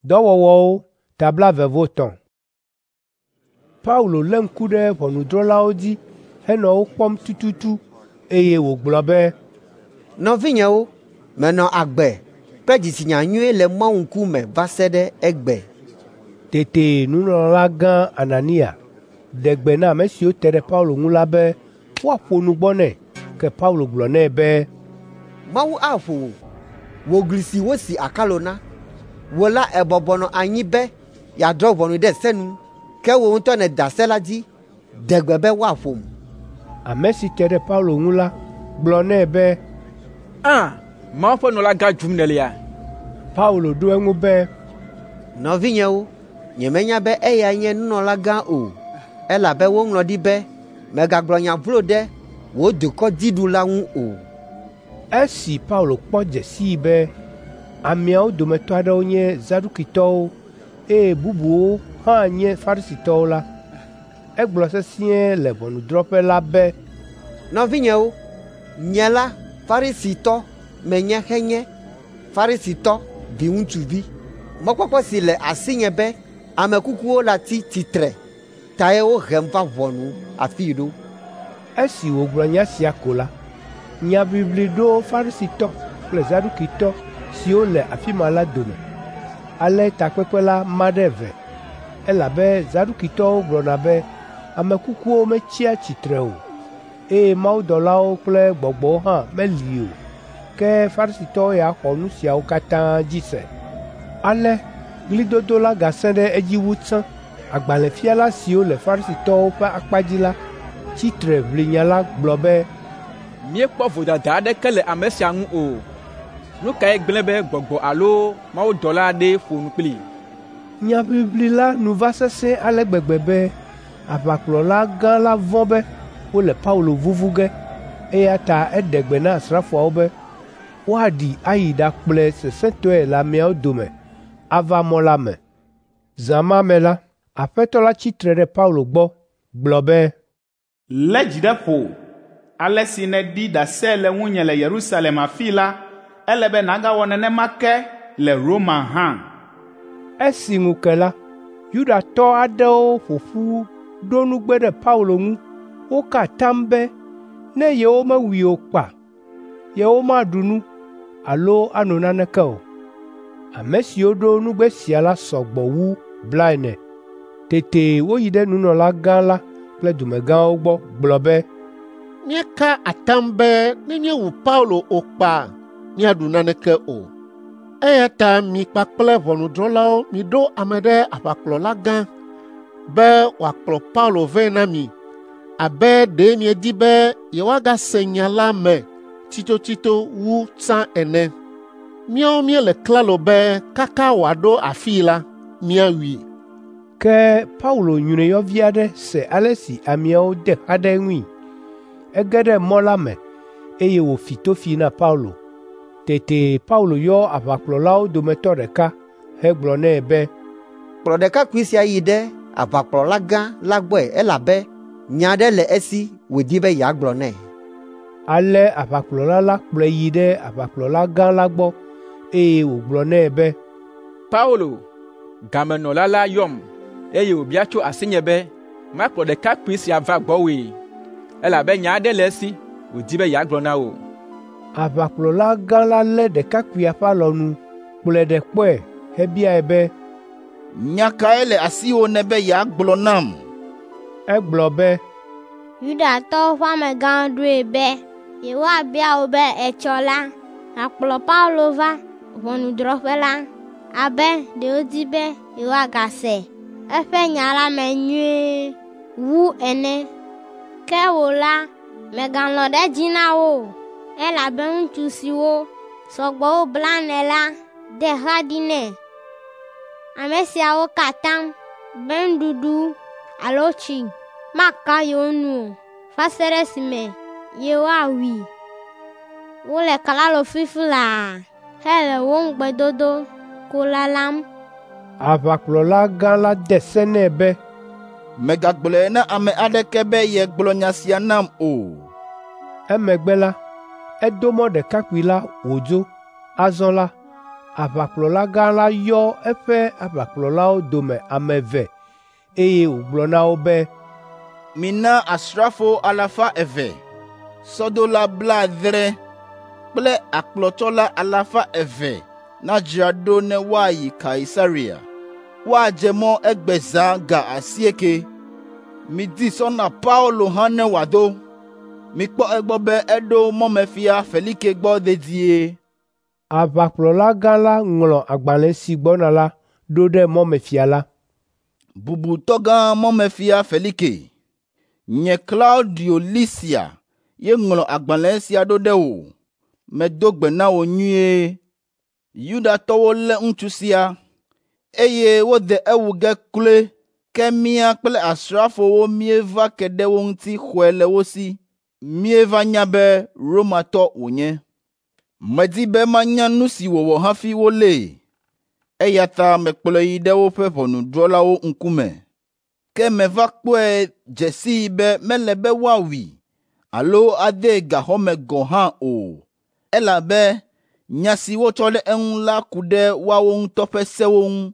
Dɔwɔwɔwo ta 23. Paulo lé ŋku ɖe ʋɔnudrɔ̃lawo dzi henɔ wo kpɔm tututu eye wògblɔ be, “Nɔvinyewo, menɔ agbe kple dzitsinya nyui le Mawu ŋkume va se ɖe egbe.” Tete nunɔlagã Anania ɖe gbe na ame siwo te ɖe Paulo ŋu la be woaƒo nu gbɔ nɛ. Ke Paulo gblɔ nɛ be, “Mawu aƒo wò, wò gli si wosi akalo na. Wò la èbɔbɔ nɔ anyi be yeadrɔ̃ ʋɔnu ɖe se nu, ke wò ŋutɔ nèda se la dzi, ɖe gbe be woaƒom.” Ame si te ɖe Paulo ŋu la gblɔ nɛ be, “Ã, Mawu ƒe nunɔlagã dzum nèlea?” Paulo ɖo eŋu be, “Nɔvinyewo, nyemenya be eyae nye nunɔlagã o, elabe woŋlɔ ɖi be, ‘Mègagblɔ nya vlo ɖe wò dukɔ dziɖula ŋu o.’ ” Esi Paulo kpɔ dze sii be ameawo dometɔ aɖewo nye Zadukitɔwo eye bubuwo hã nye Farisitɔwo la, egblɔ sesĩe le ʋɔnudrɔ̃ƒe la be, “Nɔvinyewo, nye la Farisitɔ menye henye Farisitɔ viŋutsuvi. Mɔkpɔkpɔ si le asinye be ame kukuwo latsi tsitre tae wohem va ʋɔnu afii ɖo.” Esi wògblɔ nya sia ko la, nyaʋiʋli ɖo Farisitɔ kple Zadukitɔ siwo le afi ma la dome. Ale takpekpe la ma ɖe eve, elabe Zadukitɔwo gblɔna be ame kukuwo metsia tsitre o, eye mawudɔlawo kple gbɔgbɔwo hã meli o. Ke Farisitɔwo ya xɔ nu siawo katã dzi se. Ale ɣlidodo la gasẽ ɖe edzi wu tsã. Agbalẽfiala siwo le Farisitɔwo ƒe akpa dzi la tsi tre ʋli nya la gblɔ be, “Míekpɔ vodada aɖeke le ame sia ŋu o. Nu kae gblẽ be gbɔgbɔ alo mawudɔla aɖee ƒo nu kplii?” Nyaʋiʋli la nu va sesẽ ale gbegbe be aʋakplɔla gã la vɔ̃ be wole Paulo vuvu ge, eya ta eɖe gbe na asrafoawo be woaɖi ayi ɖakplɔe sesẽtɔe le ameawo dome ava mɔ la me. Zã ma me la, Aƒetɔ la tsi tre ɖe Paulo gbɔ gblɔ be, “Lé dzi ɖe ƒo! Ale si nèɖi ɖase le ŋunye le Yerusalem afii la, ele be nàgawɔ nenema ke le Roma hã.” Esi ŋu ke la, Yudatɔ aɖewo ƒo ƒu ɖo nugbe ɖe Paulo ŋu. Woka atam be ne yewomewui o kpa, yewomaɖu nu alo ano naneke o. Ame siwo ɖo nugbe sia la sɔ gbɔ wu 40. Tete woyi ɖe nunɔlagã la kple dumegãwo gbɔ gblɔ be, “Míeka atam be ne míewu Paulo o kpa, míaɖu naneke o. Eya ta mi kpakple ʋɔnudrɔ̃lawo miɖo ame ɖe aʋakplɔlagã be wòakplɔ Paulo vɛ na mi abe ɖe miedi be yewoagase nya la me tsitotsito wu tsã ene. Míawo míele klalo be kaka wòaɖo afii la, míawui.” Ke Paulo nyruiyɔvi aɖe se ale si ameawo de xa ɖe eŋui. Ege ɖe mɔ la me, eye wòfi tofi na Paulo. Tete Paulo yɔ aʋakplɔlawo dometɔ ɖeka hegblɔ nɛ be, “Kplɔ ɖekakpui sia yi ɖe aʋakplɔlagã la gbɔe elabe nya aɖe le esi wòdi be yeagblɔ nɛ.” Ale aʋakplɔla la kplɔe yi ɖe aʋakplɔlagã la gbɔ, eye wògblɔ nɛ be, “Paulo, gamenɔla la yɔm, eye wòbia tso asinye be makplɔ ɖekakpui sia va gbɔwòe, elabe nya aɖe le esi wòdi be yeagblɔ na wò.” Aʋakplɔlagã la lé ɖekakpuia ƒe alɔnu, kplɔe ɖe kpɔe hebiae be, “Nya kae le asiwò nèbe yeagblɔ nam?” Egblɔ be, “Yudatɔwo ƒe amegãwo ɖoe be yewoabia wò be etsɔ la, nàkplɔ Paulo va ʋɔnudrɔ̃ƒe la abe ɖe wodi be yewoagase eƒe nya la me nyuie wu ene. Ke wò la, mègalɔ̃ ɖe edzi na wo o, elabe ŋutsu siwo sɔ gbɔ wu 40 la de xa ɖi nɛ. Ame siawo ka atam be nuɖuɖu alo tsi maka yewo nu o va se ɖe esime yewoawui. Wole klalo fifi laa hele wò ŋugbedodo ko lalam.” Aʋakplɔlagã la de se nɛ be, “Mègagblɔe na ame aɖeke be yegblɔ nya sia nam o.” Emegbe la, edo mɔ ɖekakpui la wòdzo. Azɔ la, Aʋakplɔlagã la yɔ eƒe aʋakplɔlawo dome ame eve eye wògblɔ na wo be, “Mina asrafo 200, sɔdola 70 kple akplɔtsɔla 200 nadzra ɖo ne woayi Kaisarea. Woadze mɔ egbe zã ga 8. Midi sɔ na Paulo hã ne wòado. Mikpɔ egbɔ be eɖo mɔmefia Felike gbɔ dedie.” Aʋakplɔlagã la ŋlɔ agbalẽ si gbɔna la ɖo ɖe mɔmefia la. Bubutɔ gã mɔmefia Felike, nye Klaudio Lisia ye ŋlɔ agbalẽ sia ɖo ɖe wò. Medo gbe na wò nyuie. Yudatɔwo lé ŋutsu sia, eye wode ewu ge kloe, ke mía kple asrafowo míeva ke ɖe wo ŋuti xɔe le wo si. Míeva nya be Romatɔ wònye. Medi be manya nu si wòwɔ hafi wolée, eya ta mekplɔe yi ɖe woƒe ʋɔnudrɔ̃lawo ŋkume. Ke meva kpɔe dze sii be mele be woawui alo adee gaxɔ me gɔ̃ hã o, elabe nya si wotsɔ ɖe eŋu la ku ɖe woawo ŋutɔ ƒe sewo ŋu.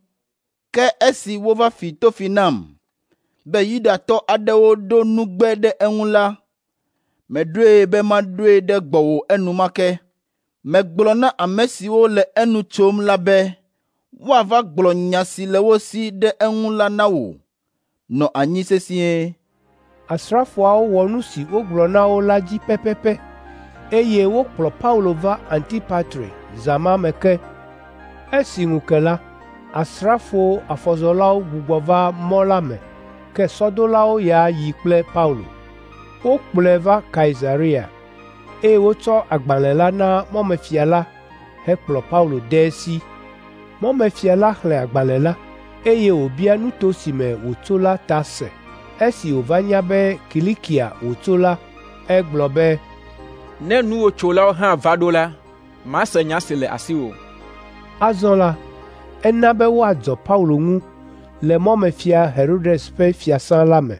Ke esi wova fi tofi nam be Yudatɔ aɖewo ɖo nugbe ɖe eŋu la, meɖoe be maɖoe ɖe gbɔwò enumake. Megblɔ na ame siwo le enu tsom la be woava gblɔ nya si le wo si ɖe eŋu la na wò. Nɔ anyi sesĩe. Asrafoawo wɔ nu si wogblɔ na wo la dzi pɛpɛpɛ, eye wokplɔ Paulo va Antipatri zã ma me ke. Esi ŋu ke la, asrafo afɔzɔlawo gbugbɔ va mɔ la me, ke sɔdolawo ya yi kple Paulo. Wokplɔe va Kaisarea, eye wotsɔ agbalẽ la na mɔmefia la hekplɔ Paulo de esi. Mɔmefia la xlẽ agbalẽ la, eye wòbia nuto si me wòtso la ta se. Esi wòva nya be Kilikia wòtso la, egblɔ be, “Ne nuwòtsolawo hã va ɖo la, mase nya si le asiwò.” Azɔ la, ena be woadzɔ Paulo ŋu le mɔmefia Herodes ƒe fiasã la me.